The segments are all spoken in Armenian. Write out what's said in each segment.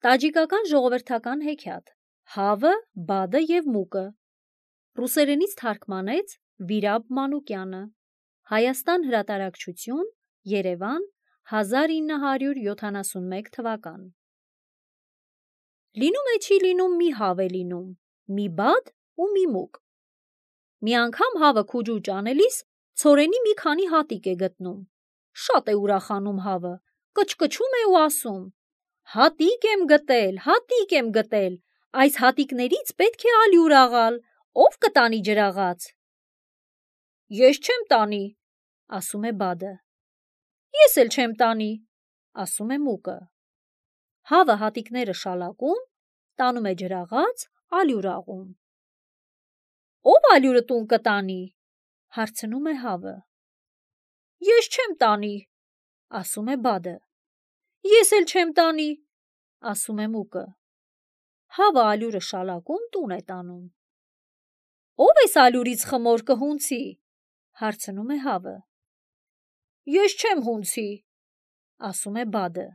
Տաջիկական ժողովրդական հեքիաթ, Հավը, Բադը և Մուկը, ռուսերենից թարգմանեց Վիրաբ Մանուկյանը, Հայաստան հրատարակչություն, Երևան, 1971 թվական։ Լինում է չի լինում մի հավ է լինում, մի Բադ ու մի Մուկ։ Մի անգամ հավը քուջուճ անելիս ցորենի մի քանի հատիկ է գտնում։ Շատ է ուրախանում հավը, կչկչում է ու ասում. «Հատիկ եմ գտել, այս հատիկներից պետք է ալյուր աղալ, ով կտանի ջրաղաց»։ «Ես չեմ տանի», ասում է Բադը։ «Ես էլ չեմ տանի», ասում է Մուկը։ Հավը հատիկները շալակում, տանում է ջրաղաց, ալյուր աղում։ «Ով ալյուրը տուն կտանի», հարցնում է հավը։ «Ես չեմ տանի», ասում է Բադը։ «Ես էլ չեմ տանի», ասում է Մուկը։ Հավը ալյուրը շալակում տուն է տանում։ «Ով էս ալյուրից խմոր կհունցի», հարցնում է հավը։ «Ես չեմ հունցի», ասում է Բադը։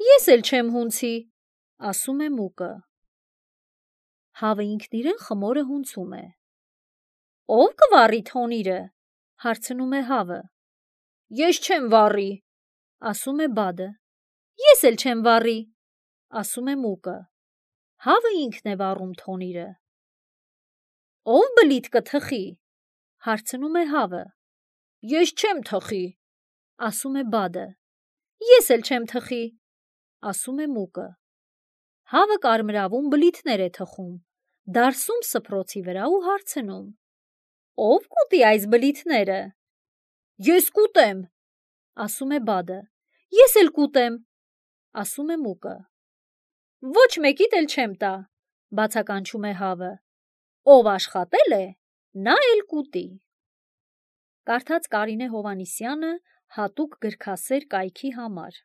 «Ես էլ չեմ հունցի», ասում է Մուկը։ Հավը ինքն իրեն խմորը հունցում է։ «Ով կվառի թոնիրը», հարցնում է հավը։ «Ես չեմ վառի», ասում է Բադը։ «Ես էլ չեմ վառի», ասում է Մուկը։ Հավը ինքն է վառում թոնիրը։ «Ով բլիթ կթխի», հարցնում է հավը։ «Ես չեմ թխի», ասում է Բադը։ «Ես էլ չեմ թխի», ասում է Մուկը։ Հավը կարմրավուն բլիթներ է թխում, դարսում սփռոցի վրա ու հարցնում. «Ով կուտի այս բլիթները»։ «Ես կուտեմ», ասում է Բադը։ «Ես էլ կուտեմ», ասում է Մուկը։ «Ոչ մեկիդ էլ չեմ տա», բացականչում է հավը։ «Ով աշխատել է, նա էլ կուտի»։ Կարդաց Կարինե Հովհաննիսյանը հատուկ գրքասեր կայքի համար։